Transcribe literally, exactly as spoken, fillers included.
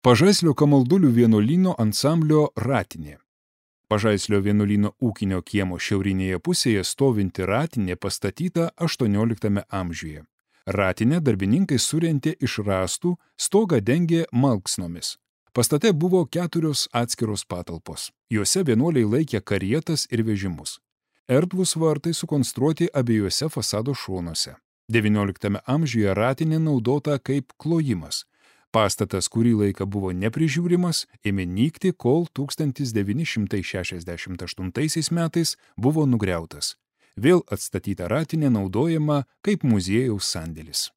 Pažaislio Kamaldulių vienuolyno ansamblio Ratinė. Pažaislio vienuolyno ūkinio kiemo šiaurinėje pusėje stovinti ratinė pastatyta aštuonioliktame amžiuje. Ratinę darbininkai surentė iš rąstų, stogą dengė malksnomis. Pastate buvo keturios atskiros patalpos. Juose vienuoliai laikė karietas ir vežimus. Erdvūs vartai sukonstruoti abiejose fasado šonuose. devynioliktame amžiuje ratinė naudota kaip klojimas. Pastatas kurį laiką buvo neprižiūrimas, ėmė nykti, kol tūkstantis devyni šimtai šešiasdešimt aštuntaisiais metais buvo nugriautas. Vėl atstatyta ratinė naudojama kaip muziejaus sandėlis.